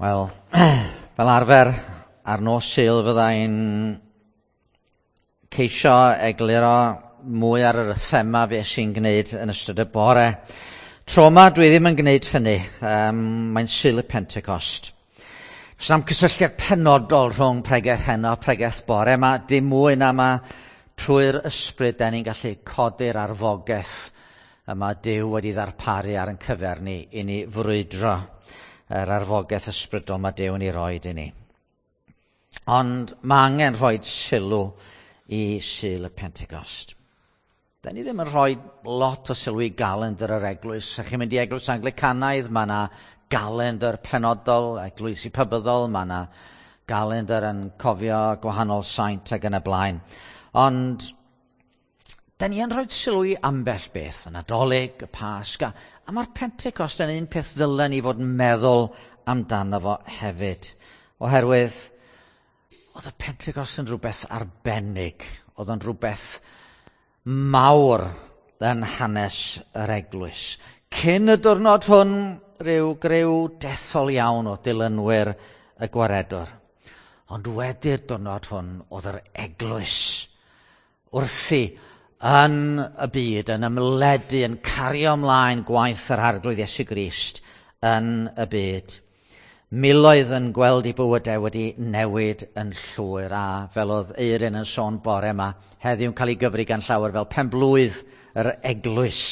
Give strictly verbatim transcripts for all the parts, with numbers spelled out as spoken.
Wel, fel arfer, ar nos Sul fydda i'n ceisio egluro mwy ar yr thema fe sy'n gwneud yn ystod y bore. Tro yma dwi ddim yn gwneud hynny, um, mae'n Sul y Pentecost. Does na'm cysylltiad penodol rhwng pregeth heno a pregeth bore yma, dim mwy na ma trwy'r ysbryd da ni'n gallu codi'r arfogaeth yma Duw wedi ddarparu ar ein cyfer ni i ni frwydro yr arfogaeth ysbrydol mae Duw yn ei roed i ni. Ond mae angen rhoi sylw i Sul y Pentecost. Da ni ddim yn rhoi lot o sylw i galendr yr eglwys. Ych chi'n mynd i eglwys Anglicanaidd, mae yna galendr penodol, eglwysi pabyddol, mae yna galendr yn cofio gwahanol saint ac yn y blaen. Ond da ni yn rhoi sylw i ambell beth, y Nadolig, y Pasg, a, a mae'r Pentecost yn un peth ddylen ni fod yn meddwl amdano fo hefyd. Oherwydd, oedd y Pentecost yn rhywbeth arbennig, oedd o'n rhywbeth mawr yn hanes yr eglwys. Cyn y diwrnod hwn, rhyw griw dethol iawn o dilynwyr y Gwaredwr. Ond wedi'r diwrnod hwn, oedd yr eglwys wrthi yn y byd, yn ymledu, yn cario ymlaen gwaith yr Arglwydd Iesu Grist yn y byd. Miloedd yn gweld eu bywydau wedi newid yn llwyr, a fel oedd Eirin yn sôn bore yma, heddiw'n cael ei gyfri gan llawer fel penblwydd yr eglwys,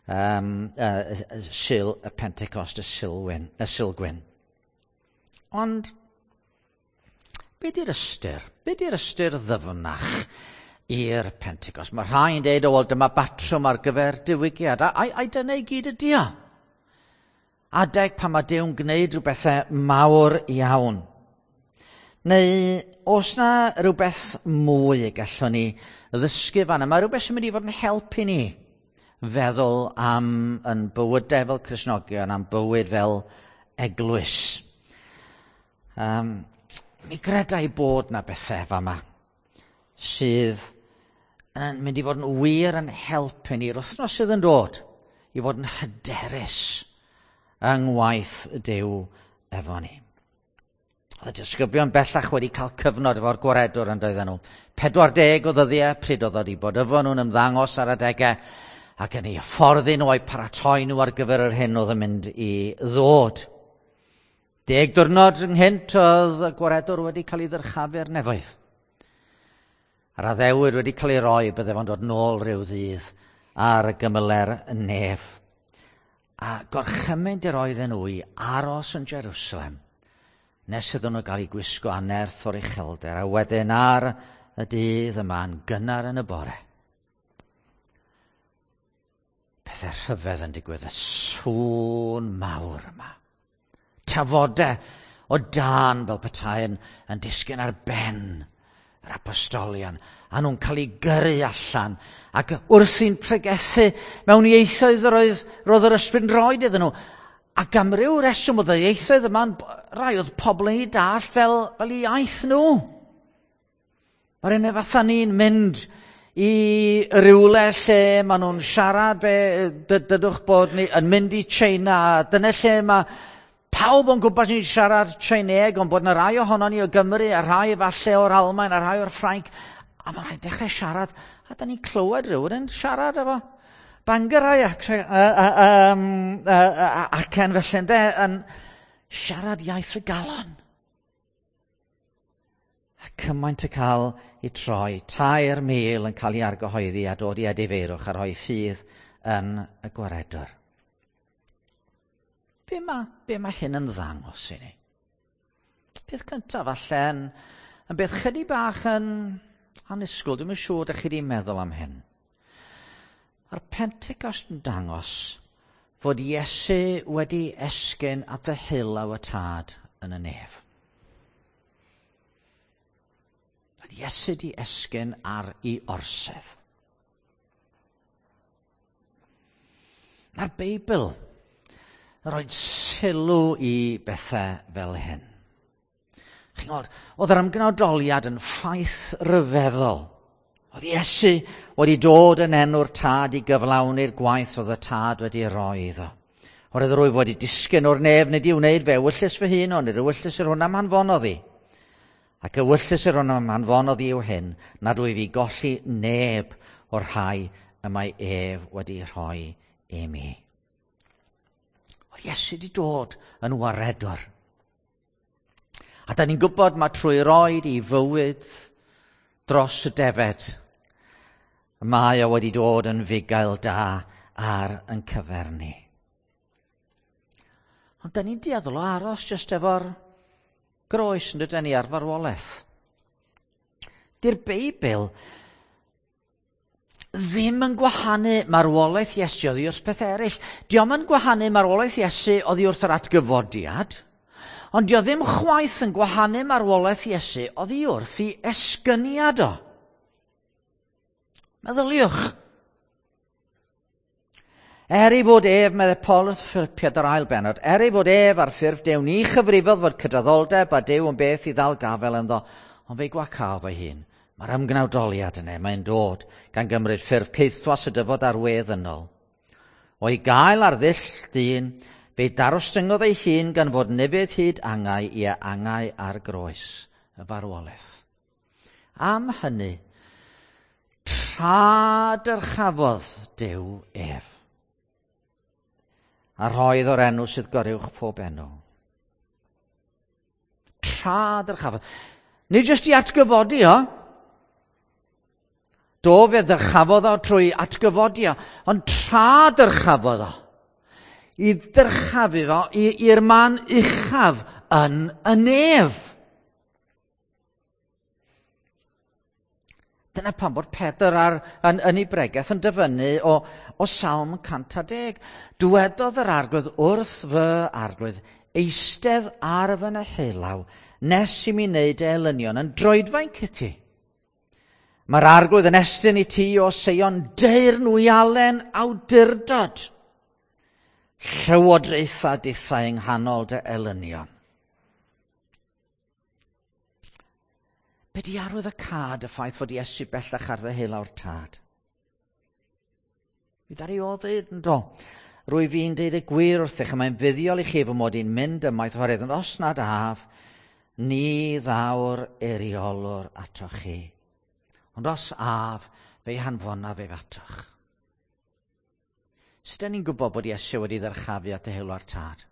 um, uh, Sul y Pentecost, y Sulwyn, y Sulgwyn. Ond, be di'r ystyr? Be di'r ystyr ddyfnach i'r Pentecost? Mae rhai'n deud, o, wel, dyma batrwm ar gyfer diwygiad. A, a, a dyna i gyd ydi o. Adeg pan mae Duw'n gwneud rhywbethau mawr iawn. Neu oes na rhywbeth mwy y gallwn ni ddysgu fan yma? Mae rhywbeth sy'n mynd i fod yn helpu ni feddwl am yn bywydau fel Cristnogion, am bywyd fel eglwys. Um, mi greda i bod na bethau fama sydd yn mynd i fod yn wir yn helpu ni'r wythnos sydd yn dod i fod yn hyderus yng ngwaith Duw efo ni. Oedd y disgyblion bellach wedi cael cyfnod efo'r Gwaredwr yn doedden nhw. Pedwar deg o ddyddiau pryd oedd wedi bod efo nhw'n ymddangos ar adegau ac yn eu hyfforddi nhw a'u paratoi nhw ar gyfer yr hyn oedd yn mynd i ddod. Deg diwrnod ynghynt oedd y Gwaredwr wedi cael ei ddyrchafu i'r nefoedd. A'r addewid wedi cael ei roi bydde fo'n dod nôl rhyw ddydd ar y gymyler nef. A gorchymyn i'r oedden nhw i aros yn Jerusalem nes iddyn nhw gael eu gwisgo â nerth o'r uchelder, a wedyn ar y dydd yma yn gynnar yn y bore. Pethau rhyfedd yn digwydd, y sŵn mawr yma. Tafodau o dân fel petai yn, yn disgyn ar ben yr apostolion, a nhw'n cael eu gyrru allan, ac wrthi'n pregethu mewn ieithoedd yr oedd, roedd yr ysbryd yn rhoi iddyn nhw. Ac am ryw reswm oedd y ieithoedd yma'n rai oedd pobl yn ei dallt fel, fel iaith nhw. Mae'r un fatha ni'n mynd i rywle lle maen nhw'n siarad, be, dydwch bod ni yn mynd i China, dyna lle mae pawb o'n gwmpas ni'n siarad Tsieinëeg, ond bod yna rai ohonon ni o Gymru, a rhai falle o'r Almaen, a rhai o'r Ffrainc, a mae rhai'n dechrau siarad, a da ni'n clywed rhywun yn siarad efo Bangorau ac, acen felly, ynde, yn siarad iaith y galon. A cymaint y cael ei troi, tair mil yn cael ei argyhoeddi a dod i edifeirwch a rhoi ffydd yn y Gwaredwr. Be mae, be mae hyn yn ddangos i ni? Peth cyntaf falle yn, yn beth chydig bach yn annisgwyl, dwi'm yn siŵr ydych chi wedi meddwl am hyn. Mae'r Pentecost yn dangos fod Iesu wedi esgyn at y hylaw y Tad yn y nef. Oedd Iesu wedi esgyn ar ei orsedd. Mae'r Beibl yn rhoi sylw i bethau fel hyn. Chi'n gwybod, oedd yr ymgnawdoliad yn ffaith ryfeddol. Oedd Iesu wedi dod yn enw'r Tad i gyflawni'r gwaith oedd y Tad wedi roi iddo. Oherwydd rwyf wedi disgyn o'r nef nid i wneud fe ewyllys fy hun, ond yr ewyllys yr hwn am hanfonodd i. Ac ewyllys yr hwn am hanfonodd i yw hyn, nad wyf i golli neb o'r rhai y mae ef wedi rhoi i mi. Oedd Iesu wedi dod yn waredwr. A da ni'n gwybod mae trwy roed i fywyd dros y defed, mae o wedi dod yn fugail da ar yn cyfer ni. Ond da ni'n dueddol o aros jyst efo'r groes yn dydyn ni ar farwolaeth. Di'r Beibl ddim yn gwahanu marwolaeth Iesu oddi wrth peth eraill. Dio'm yn gwahanu marwolaeth Iesu oddi wrth yr atgyfodiad, ond dio ddim chwaith yn gwahanu marwolaeth Iesu oddi wrth i esgyniad o. Meddyliwch. Er ei fod ef, meddai Paul wrth Philipiad yr ail bennod, er ei fod ef ar ffurf Duw, ni chyfrifodd fod cydraddoldeb a Duw yn beth i ddal gafel ynddo, ond fe'i gwacaodd o'i hun. Mae'r ymgnawdoliad yna, mae'n dod, gan gymryd ffurf caethwas y dyfod ar wedd ynol. O'i gael ar ddull dyn, fe'i darostyngodd ei hun gan fod nefydd hyd angau i angau ar groes y farwolaeth. Am hynny, tra dyrchafodd Duw ef, a rhoedd o'r enw sydd goruwch pob enw. Tra dyrchafodd. Nid jyst i atgyfodi o. Do, fe ddyrchafodd o trwy atgyfodi o, ond tra dyrchafodd o. I ddyrchafu fo i'r man uchaf yn y nef. Dyna pam bod Pedr ar, yn, yn ei bregeth yn dyfynnu o, o Salm cant a deg. Dywedodd yr Arglwydd wrth fy Arglwydd, eistedd ar fy neheulaw, nes i mi wneud elynion yn droedfainc i ti. Mae'r Arglwydd yn estyn i ti o Seion deyrnwialen awdurdod. Llywodraetha dithau yng nghanol dy elynion. Be di arwydd y cad y ffaith fod Iesu bellach ar ddeheulaw'r tad? Mi ddaru o ddeud yn do. Rwy fi'n deud y gwir wrthych, a mae'n fuddiol i chi fy mod i'n mynd ymaith oherwydd, ond os nad af, ni ddaw'r eiriolwr atoch chi. Ond os af, fe'i hanfonaf ef atoch. Sut dan ni'n gwybod bod Iesu wedi ddyrchafu at ddeheulaw'r tad?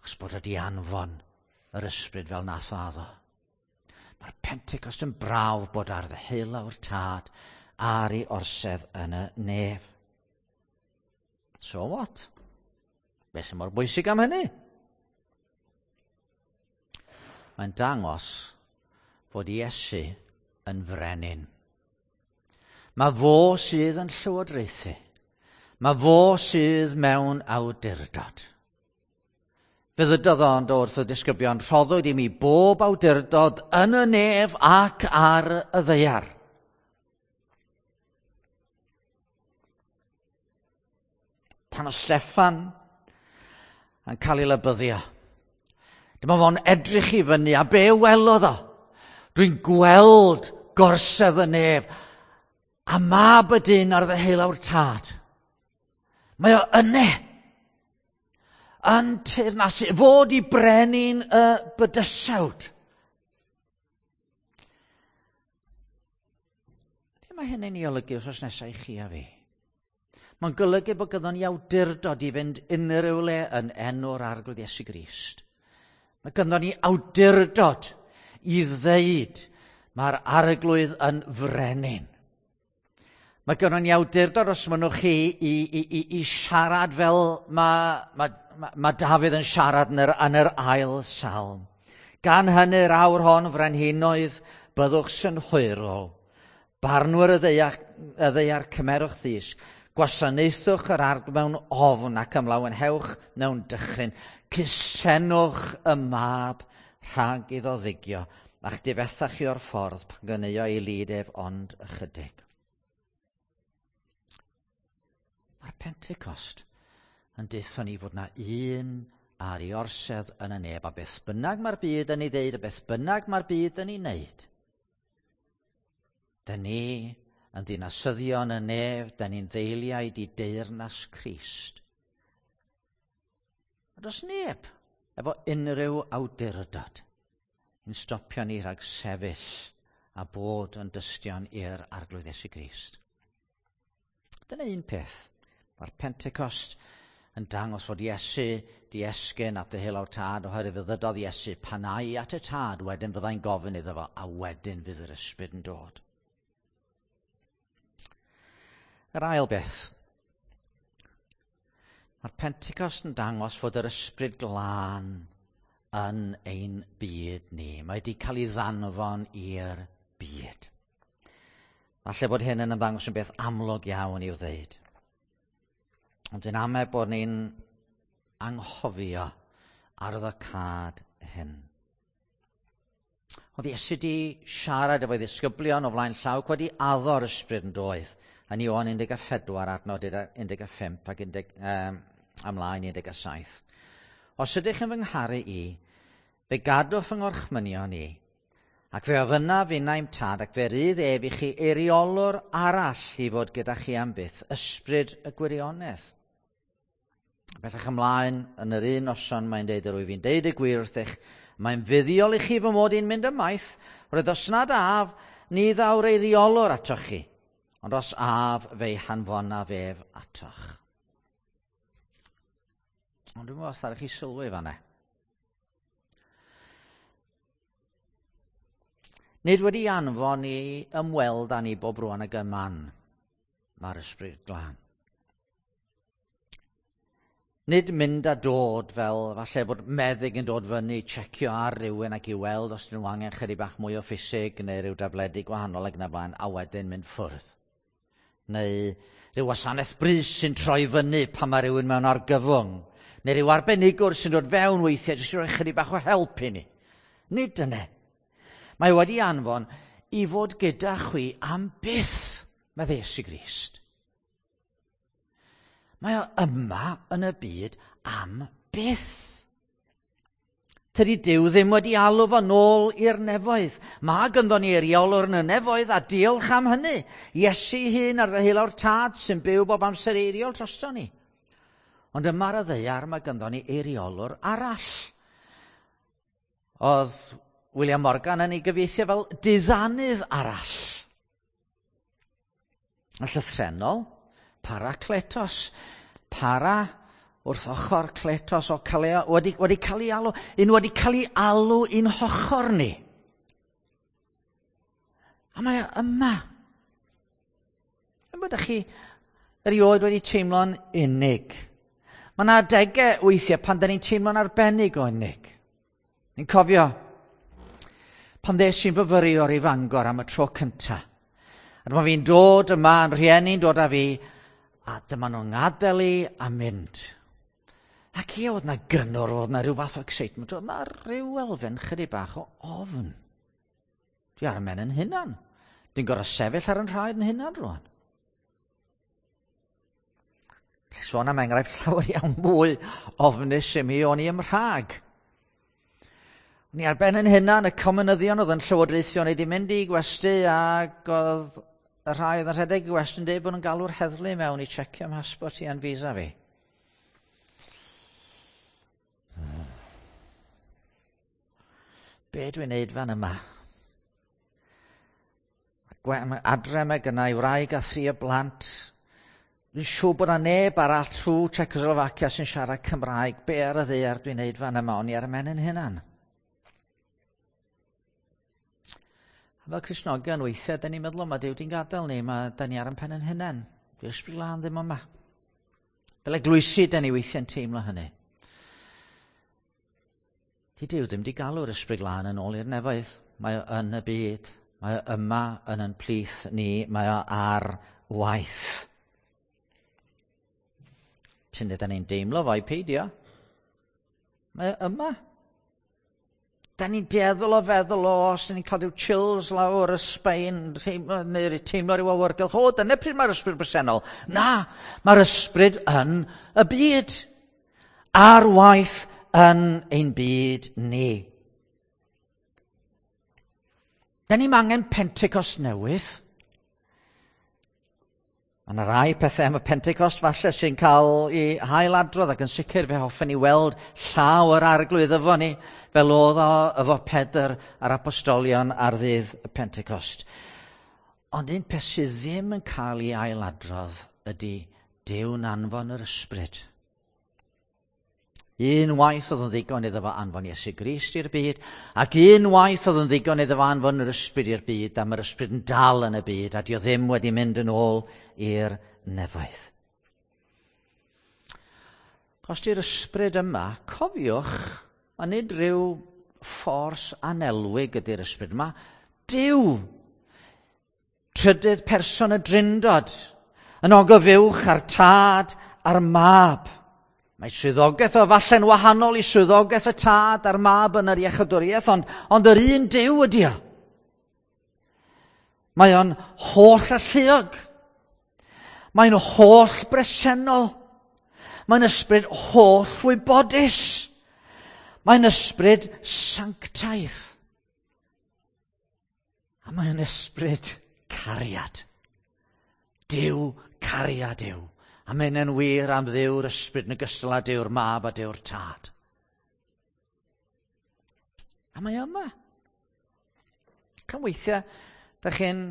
Achos bod wedi anfon yr ysbryd fel nath o addo. Mae'r Pentecost yn brawf bod ar ddeheulaw'r tad ar ei orsedd yn y nef. So what? Be sy'n mor bwysig am hynny? Mae'n dangos fod Iesu yn frenin. Mae fo sydd yn llywodraethu. Mae fo sydd mewn awdurdod. Fe ddydodd ond wrth y disgyblion, rhoddwyd i mi bob awdurdod yn y nef ac ar y ddaear. Pan oedd Steffan yn cael ei labyddio, dyma fo'n edrych i fyny a be welodd o? Dwi'n gweld gorsedd y nef a mab y dyn ar ddeheulaw'r tad. Mae o yne. Yn teyrnasu, fod i brenin y bydysawd. Be mae hynny'n ei olygu wrthnos nesaf i chi a fi? Mae'n golygu bod gyda ni awdurdod i fynd unrhyw le yn enw'r Arglwydd Iesu Grist. Mae ganddo ni awdurdod i ddeud mae'r Arglwydd yn frenin. Mae gynnon ni awdurdod os mynnwch chi i, i, i, i siarad fel mae, mae, mae Dafydd yn siarad yn yr, yn yr ail salm. Gan hynny'r awr hon frenhinoedd byddwch synhwyrol. Barnwyr y ddaear, y ddaear cymerwch ddysg. Gwasanaethwch yr Arglwydd mewn ofn ac ymlawenhewch mewn dychryn. Cusenwch y mab rhag iddo ddigio, a'ch difetha chi o'r ffordd pan gyneuo ei lid ef ond ychydig. Mae'r Pentecost yn deutho ni fod na un ar ei orsedd yn y nef, a beth bynnag mae'r byd yn ei ddeud, a beth bynnag mae'r byd yn ei wneud. Dyn ni yn ddinasyddion y nef, dyn ni'n ddeiliaid i deyrnas Crist. A does neb efo unrhyw awdurdod yn stopio ni rhag sefyll a bod yn dystion i'r Arglwydd Iesu Grist. Dyna un peth. Mae'r Pentecost yn dangos fod Iesu di esgyn at ddeheulaw'r Tad, oherwydd fe ddydodd Iesu pan ai at y Tad, wedyn fyddai'n gofyn iddo fo, a wedyn fydd yr Ysbryd yn dod. Yr ail beth. Mae'r Pentecost yn dangos fod yr Ysbryd Glân yn ein byd ni. Mae wedi cael ei ddanfon i'r byd. Falle bod hyn yn ymddangos yn beth amlwg iawn i'w ddeud. Ond dwi'n amau bod ni'n anghofio arwyddocâd hyn. Oedd Iesu di siarad efo'i ddisgyblion o flaen llaw wedi addo'r Ysbryd yn doedd yn Ioan un deg pedwar adnod un deg pump ac un deg, um, ymlaen un deg saith. Os ydych yn fy ngharu i, fe gadwch fy ngorchmynion i, ac fe ofynnaf finnau i'm Tad, ac fe rydd ef i chi eiriolwr arall i fod gyda chi am byth, Ysbryd y gwirionedd. Bellach ymlaen, yn yr un noson mae'n deud, yr wyf fi'n deud y gwir wrthych, mae'n fuddiol i chi fy mod i'n mynd ymaith, roedd os nad af, ni ddaw'r eiriolwr atoch chi, ond os af, fe'i hanfonaf ef atoch. Ond dwi'n meddwl os ddaru chi sylwi fan'na. Nid wedi anfon i ymweld â ni bob rwan ag y man, mae'r Ysbryd Glân. Nid mynd a dod fel falle bod meddyg yn dod fyny, checio ar rywun ac i weld os ydyn nhw angen chydig bach mwy o ffisig neu rhyw dabledi gwahanol ac yn y blaen, a wedyn mynd ffwrdd. Neu rhyw wasanaeth brys sy'n troi fyny pan mae rhywun mewn argyfwng. Neu rhyw arbenigwr sy'n dod fewn weithiau jyst i roi chydig bach o help i ni. Nid dyna. Mae wedi anfon i fod gyda chwi am byth, meddai Iesu Grist. Mae o yma yn y byd am byth. Tydi Duw ddim wedi alw fo nôl i'r nefoedd. Mae ganddo ni eiriolwr yn y nefoedd a diolch am hynny. Iesu hun ar ddeheulaw'r Tad sy'n byw bob amser eiriol drosto ni. Ond yma ar y ddaear mae ganddo ni eiriolwr arall. Oedd William Morgan yn ei gyfieithu fel diddanydd arall. Yn llythrennol, parakletos, para wrth ochr kletos o cael ei, wedi, wedi cael ei alw, un wedi cael ei alw i'n hochr ni. A mae o yma. Yn bod chi erioed wedi teimlo'n unig. Mae yna adegau weithiau pan da ni'n teimlo'n arbennig o unig. Ni'n cofio pan ddes i'n fyfyriwr i Fangor am y tro cyntaf. A dyma fi'n dod yma, yn rhieni'n dod â fi, a dyma nhw'n gadael i a mynd. Ac ie, oedd na gynnwr, oedd na rhyw fath o excitement, oedd na rhyw elfen chydig bach o ofn. Dwi ar y men yn hunan. Dwi'n gorfod sefyll ar yn rhaid yn hunan rwan. Sôn am enghraifft llawer iawn mwy ofnus i mi o'n i ym Mhrag. O'n i ar ben yn hunan, y comunyddion oedd yn llywodraethio, o'n i wedi mynd i gwesty ac oedd y rhai oedd yn rhedeg i gwesty yn dweud bod nhw'n galw'r heddlu mewn i checio mhasbort i a'n visa fi. Be dwi'n neud fan yma? Adre mae gynna i wraig a thri o blant. Dwi'n siŵr bod 'na neb arall trwy Czechoslovakia sy'n siarad Cymraeg. Be ar y ddaear dwi'n neud fan yma? O'n i ar y men yn hunan. A fel Cristnogion weithiau, da ni'n meddwl, mae Duw di'n gadael ni, mae da ni ar ein pen yn hunan. Di'r Ysbryd Glân ddim yma. Fel eglwysi, da ni weithiau'n teimlo hynny. Di Duw ddim di galw'r Ysbryd Glân yn ôl i'r nefoedd. Mae o yn y byd. Mae o yma yn yn plith ni. Mae o ar waith. Sy'n da ni'n deimlo fo i peidio. Mae o yma. Da ni'n dueddol o feddwl, o, os ni'n cael rhyw chills lawr y sbein, teimlo, neu teimlo rhyw awyrgylch, o, dyna pryd mae'r ysbryd bresennol. Na, mae'r ysbryd yn y byd. Ar waith yn ein byd ni. Da ni'n angen Pentecost newydd. Mae yna rai pethau am y Pentecost falle sy'n cael ei hailadrodd, ac yn sicr fe hoffen ni weld llaw yr Arglwydd efo ni, fel oedd o efo Pedr a'r apostolion ar ddydd y Pentecost. Ond un peth sydd ddim yn cael ei ailadrodd ydy Duw'n anfon yr ysbryd. Un waith oedd yn ddigon iddo fo anfon Iesu Grist i'r byd, ac un waith oedd yn ddigon iddo fo anfon yr ysbryd i'r byd, a mae'r ysbryd yn dal yn y byd, a dio ddim wedi mynd yn ôl i'r nefoedd. Os di'r ysbryd yma, cofiwch, a nid rhyw ffors anelwig ydy'r ysbryd yma, Duw, trydydd person y Drindod, yn ogof uwch a'r Tad a'r Mab. Mae swyddogaeth o falle'n wahanol i swyddogaeth y Tad a'r Mab yn yr iechydwriaeth, ond, ond yr un Duw ydy o. Mae o'n holl alluog. Mae'n holl bresennol. Mae'n ysbryd holl wybodus. Mae'n ysbryd sanctaidd. A mae'n ysbryd cariad. Duw cariad yw. A mae'n yn wir am Dduw'r ysbryd yn ogystal â Duw'r Mab a Duw'r Tad. A mae yma. Can weithiau, da chi'n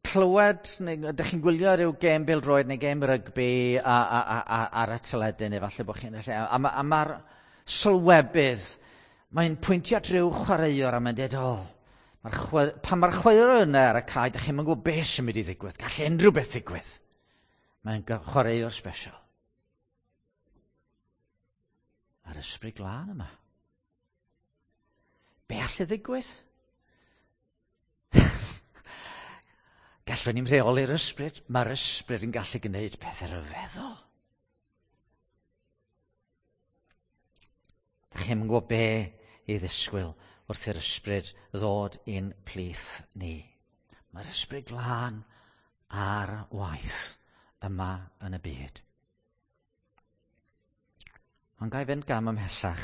clywed, neu da chi'n gwylio rhyw gêm bêl-droed neu gêm rygbi a, a, a, a, ar y teledu, neu falle bod chi'n... A, a mae'r sylwebydd, mae'n pwyntio at rhyw chwaraewr a mae'n dweud, o, mae'r chwe, pan mae'r chwaraewr yna ar y cae, da chi'n gwybod beth sy'n mynd i ddigwydd. Gall unrhyw beth ddigwydd. Mae'n chwaraewr special. Mae'r ysbryd glân yma. Be all y ddigwydd? Gallwn ni'n rheoli'r ysbryd. Mae'r ysbryd yn gallu gwneud pethau rhyfeddol. Da chi'n gwybod be i ddisgwyl wrth i'r ysbryd ddod i'n plith ni. Mae'r ysbryd glân ar waith yma yn y byd. Ond ga i fynd gam ymhellach.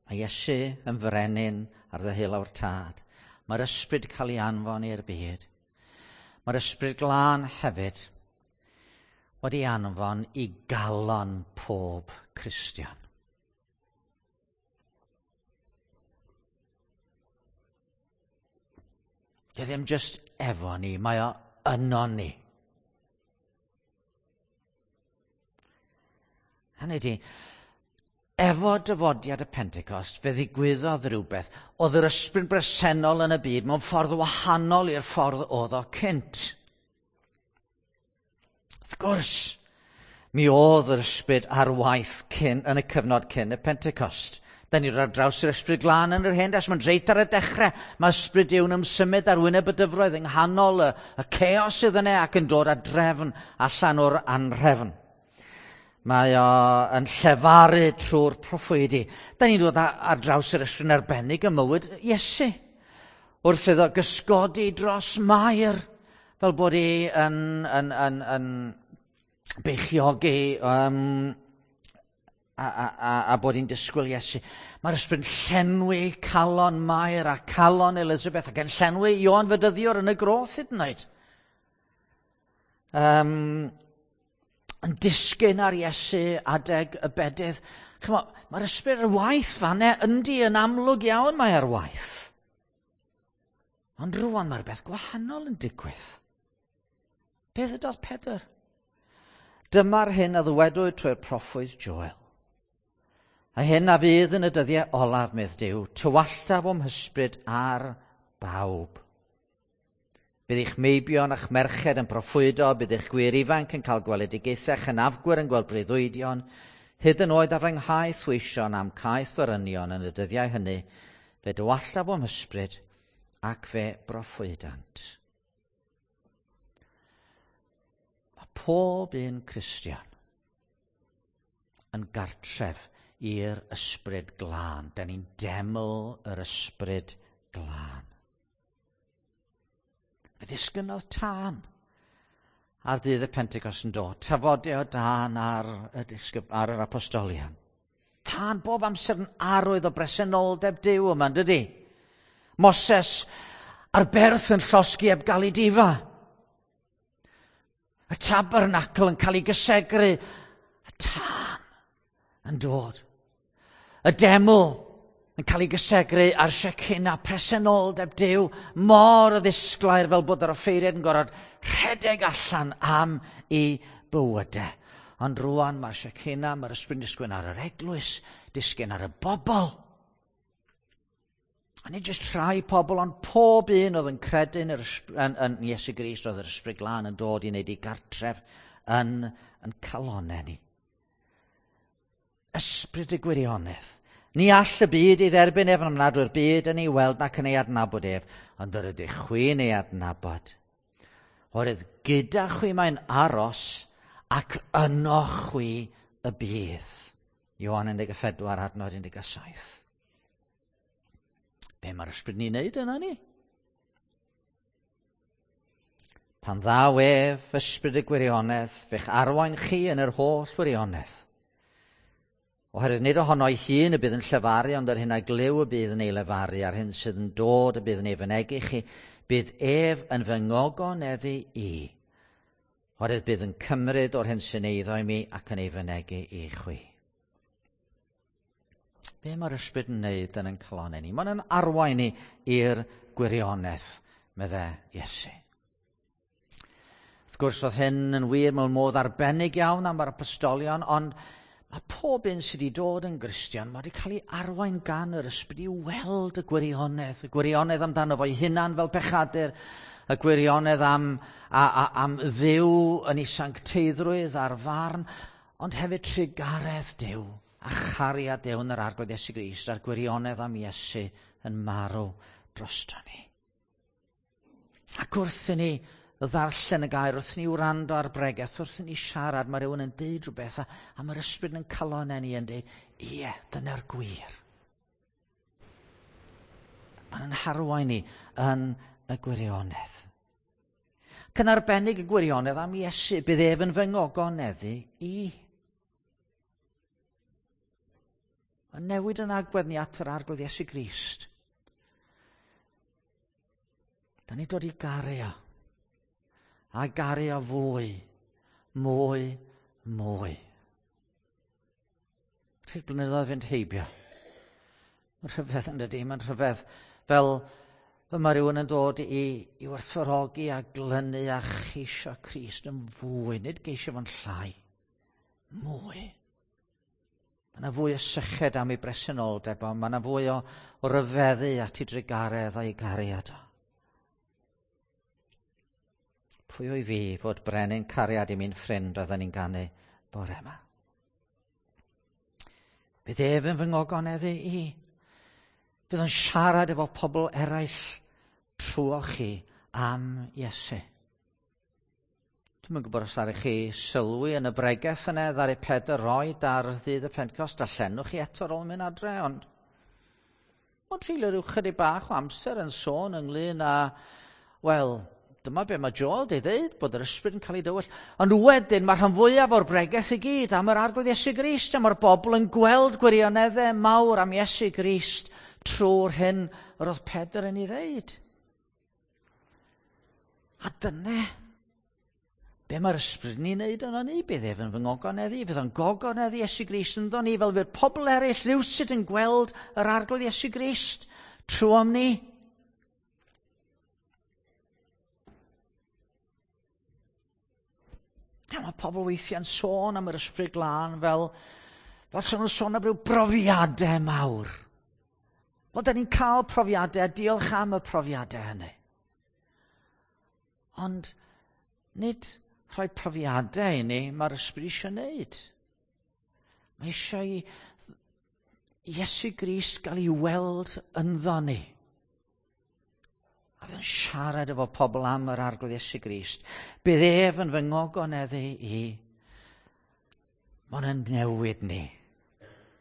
Mae Iesu yn frenin ar ddeheulaw'r Tad. Mae'r ysbryd cael ei anfon i'r byd. Mae'r ysbryd glân hefyd wedi anfon i galon pob Cristion. Dio ddim jyst efo ni, mae o yno ni. Hynny ydi, efo dyfodiad y Pentecost, fe ddigwyddodd rhywbeth. Oedd yr ysbryd bresennol yn y byd mewn ffordd wahanol i'r ffordd oedd o cynt. Wrth gwrs, mi oedd yr ysbryd ar waith cyn, yn y cyfnod cyn y Pentecost. Da ni'n rhaid draws yr ysbryd glân yn yr Hen Destament, reit ar y dechrau. Mae ysbryd Duw'n ymsymud ar wyneb y dyfroedd yng nghanol y, y chaos sydd yna ac yn dod â drefn allan o'r anhrefn. Mae o yn llefaru trwy'r proffwydi. Da ni'n dod ar draws yr ysbryd arbennig ym mywyd Iesu. Wrth iddo gysgodi dros Mair, fel bod hi yn, yn, yn, yn beichiogi um, a, a, a, a bod hi'n disgwyl Iesu. Mae'r ysbryd yn llenwi calon Mair a calon Elizabeth ac yn llenwi Ioan Fedyddiwr yn y groth hyd yn oed. Um, yn disgyn ar Iesu adeg y bedydd. Chymod, mae'r ysbryd ar waith fanne, yndi yn amlwg iawn mae ar waith. Ond rwan mae'r beth gwahanol yn digwydd. Beth ydodd Pedr? Dyma'r hyn a ddywedwyd trwy'r proffwyd Joel. A hyn a fydd yn y dyddiau olaf, medd Duw, tywalltaf o'm hysbryd ar bawb. Bydd eich meibion a'ch merched yn proffwydo, bydd eich gwir ifanc yn cael gweledigaethau, chynafgwyr yn gweld breuddwydion, hyd yn oed ar fy nghaeth weision am caeth forynion yn y dyddiau hynny, fe dywalltaf o'm hysbryd ac fe broffwydant. Mae pob un Cristion yn gartref i'r ysbryd glân. Da ni'n deml yr ysbryd glân. Fe ddisgynnodd tân ar ddydd y Pentecost yn dod, tafodau o dân ar y disgyb, ar yr apostolion. Tân bob amser yn arwydd o bresenoldeb Duw yma, dydy? Moses ar berth yn llosgi heb gael ei difa. Y tabernacl yn cael ei gysegru, y tân yn dod. Y deml yn cael ei gysegru a'r Shekinah, presenoldeb Duw, mor ddisglair fel bod yr offeiriad yn gorfod rhedeg allan am ei bywydau. Ond rwan mae'r Shekinah, mae'r ysbryd yn disgyn ar yr eglwys, disgyn ar y bobl. A nid jyst rhai pobl, ond pob un oedd yn credu yn, yr, yn, yn Iesu Grist, oedd yr Ysbryd Glân yn dod i wneud ei gartref yn, yn calonau ni. Ysbryd y gwirionedd. Ni all y byd ei dderbyn ef, am nad yw'r byd yn ei weld nac yn ei adnabod ef, ond yr ydych chwi'n ei adnabod. Oherwydd gyda chwi mae'n aros ac yno chwi y bydd. Ioan un deg pedwar, adnod un deg saith. Be mae'r ysbryd ni'n neud yna ni? Pan ddaw ef, ysbryd y gwirionedd, fe'ch arwain chi yn yr holl wirionedd. Oherwydd nid ohono ei hun y bydd yn llefaru, ond yr hyn a glyw y bydd yn ei lefaru, a'r hyn sydd yn dod y bydd yn ei fynegi chi, bydd ef yn fy ngogoneddu i. Oherwydd bydd yn cymryd o'r hyn sy'n eiddo i mi ac yn ei fynegi i chwi. Be mae'r ysbryd yn wneud yn ein calonnau ni? Mae'n arwain ni i'r gwirionedd, meddai Iesu. Wrth gwrs, oedd hyn yn wir mewn modd arbennig iawn am yr apostolion, ond mae pob un sydd wedi dod yn Gristion, mae wedi cael ei arwain gan yr ysbryd i weld y gwirionedd, y gwirionedd amdano fo'i hunan fel pechadur, y gwirionedd am, a, a, am Dduw yn ei sancteiddrwydd a'r farn, ond hefyd trugaredd Duw a chariad Duw yn yr Arglwydd Iesu Grist a'r gwirionedd am Iesu yn marw drosto ni. Ac wrth i ni ddarllen y gair, wrth i ni wrando ar bregeth, wrth i ni siarad, mae rhywun yn deud rhywbeth a, a mae'r ysbryd yn calonnau ni yn deud, ie, dyna'r gwir. Mae'n harwain ni yn y gwirionedd. Ac yn arbennig y gwirionedd am Iesu, bydd ef yn fy ngogoneddu i. Yn newid yn agwedd ni at yr Arglwydd Iesu Grist. Da ni dod i garu o. A garu o fwy, mwy, mwy. Wrth i'r blynyddoedd fynd heibio. Mae'n rhyfedd yn dydi, mae'n rhyfedd fel mae rhywun yn dod i, i werthfawrogi a glynu a cheisio Crist yn fwy, nid geisio fo'n llai, mwy. Mae yna fwy o syched am ei bresenoldeb, ond mae yna fwy o, o ryfeddu at ei drugaredd a'i gariad o. Pwy o'i fi fod brenin cariad i mi'n ffrind oedden ni'n ganu bore yma? Bydd ef yn fy ngogoneddu i. Bydd yn siarad efo pobl eraill trwoch chi am Iesu. Dwi'm yn gwybod os aru chi sylwi yn y bregeth yna ddaru Pedr roed ar ddydd y Pentecost, darllenwch chi eto ar ôl mynd adre, ond ond treulio rhyw chydig bach o amser yn sôn ynglyn â, wel, dyma be mae Joel di ddeud, bod yr ysbryd yn cael ei dywell. Ond wedyn mae rhan fwyaf o'r bregeth i gyd am yr Arglwydd Iesu Grist, a mae'r bobl yn gweld gwirioneddau mawr am Iesu Grist trwy'r hyn yr oedd Pedr yn ei ddeud. A dyna be mae'r ysbryd ni'n neud yno ni, bydd ef yn fy ngogoneddu, fydd o'n gogoneddu Iesu Grist ynddo ni, fel fydd pobl eraill rywsut yn gweld yr Arglwydd Iesu Grist trwom ni. Ja, mae pobl weithiau'n sôn am yr ysbryd glân fel, fel sy'n nhw'n sôn am ryw brofiadau mawr. Wel, da ni'n cael profiadau, diolch am y profiadau hynny. Ond nid rhoi profiadau i ni, mae'r ysbryd eisiau wneud. Mae eisiau i Iesu Grist gael ei weld ynddo ni. A fydd yn siarad efo pobl am yr Arglwydd Iesu Grist. Bydd ef yn fy ngogoneddu i. Mae'n newid ni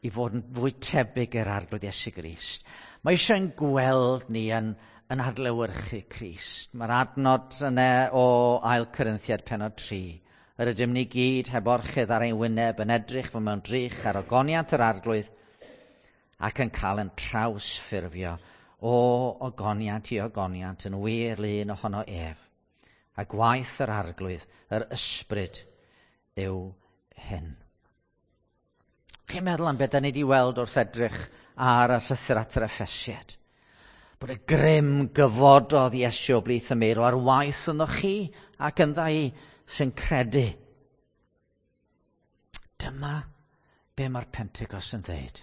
i fod yn fwy tebyg i'r Arglwydd Iesu Grist. Mae eisiau'n gweld ni yn, yn adlewyrchu Crist. Mae'r adnod yna o Ail Corinthiaid pennod tri. Yr ydym ni gyd heb orchudd ar ein wyneb yn edrych fel mewn drych ar ogoniant yr Arglwydd ac yn cael yn trawsffurfio o ogoniant i ogoniant yn wir lun ohono ef, A gwaith yr Arglwydd, yr Ysbryd, yw hyn. Chi'n meddwl am beth da ni wedi weld wrth edrych ar y llythyr at yr Effesiaid? Bod y grym gyfododd Iesu o blith y meirw ar waith ynddo chi ac ynddo i sy'n credu. Dyma be mae'r Pentecost yn dweud.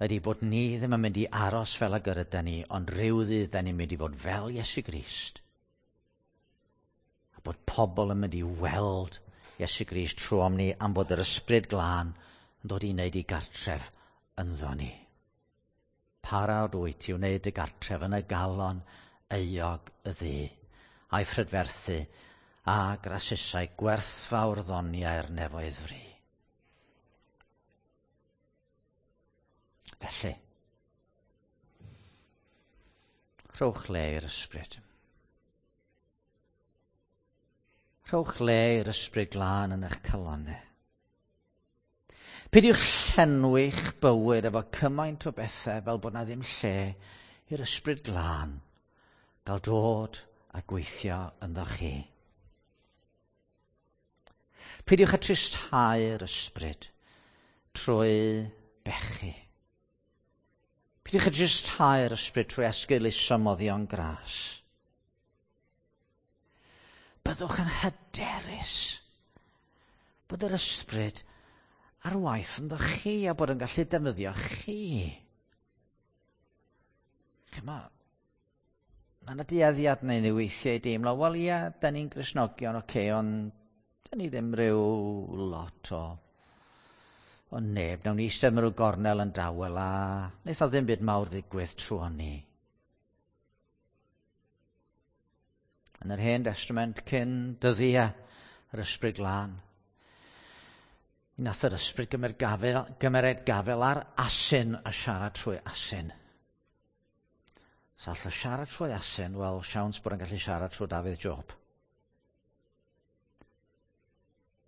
Ydy bod ni ddim yn mynd i aros fel ag yr ydyn ni, ond rhyw ddydd da ni'n mynd i fod fel Iesu Grist. A bod pobl yn mynd i weld Iesu Grist trwom ni am bod yr Ysbryd Glân yn dod i wneud i gartref ynddo ni. Parod wyt i wneud y gartref yn y galon euog y ddu, a'i phrydferthu a grasusau gwerthfawr ddoniau'r nefoedd fri. Felly, rhowch le i'r Ysbryd. Rhowch le i'r Ysbryd Glân yn eich calonnau. Peidiwch llenwi'ch bywyd efo cymaint o bethau fel bod na ddim lle i'r Ysbryd Glân gael dod a gweithio ynddo chi. Peidiwch â tristhau'r Ysbryd trwy bechu. Peidiwch â tristhau'r Ysbryd trwy esgeuluso moddion gras. Byddwch yn hyderus bod yr Ysbryd ar waith ynddo chi a bod yn gallu defnyddio chi. Chymod, mae yna dueddiad neu ni weithiau i deimlo, wel ia, da ni'n Gristnogion, oce, okay, ond da ni ddim rhyw lot o, o neb. Nawn ni eistedd mewn rhyw gornel yn dawel a wneith o ddim byd mawr ddigwydd trwy ni. Yn yr Hen Testament cyn dyddiau yr Ysbryd Glân, mi nath yr Ysbryd gymryd gafel, gymered gafel ar asyn a siarad trwy asyn. Sa all o siarad trwy asyn, wel, siawns bod yn gallu siarad trwy Dafydd Job.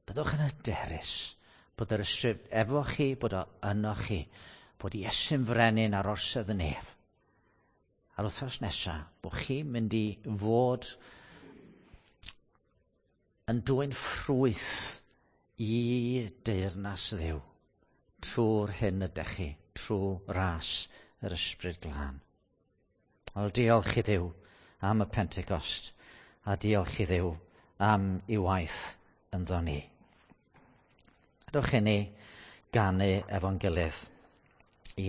Byddwch yn hyderus bod yr Ysbryd efo chi, bod o yno chi, bod Iesu'n frenin ar orsedd y nef. A'r wythnos nesaf, bod chi'n mynd i fod yn dwyn ffrwyth i deyrnas Dduw trwy'r hyn ydych chi, trwy ras yr Ysbryd Glân. Wel, diolch i Dduw am y Pentecost a diolch i Dduw am ei waith ynddo ni. Dewch i ni ganu efo'n gilydd.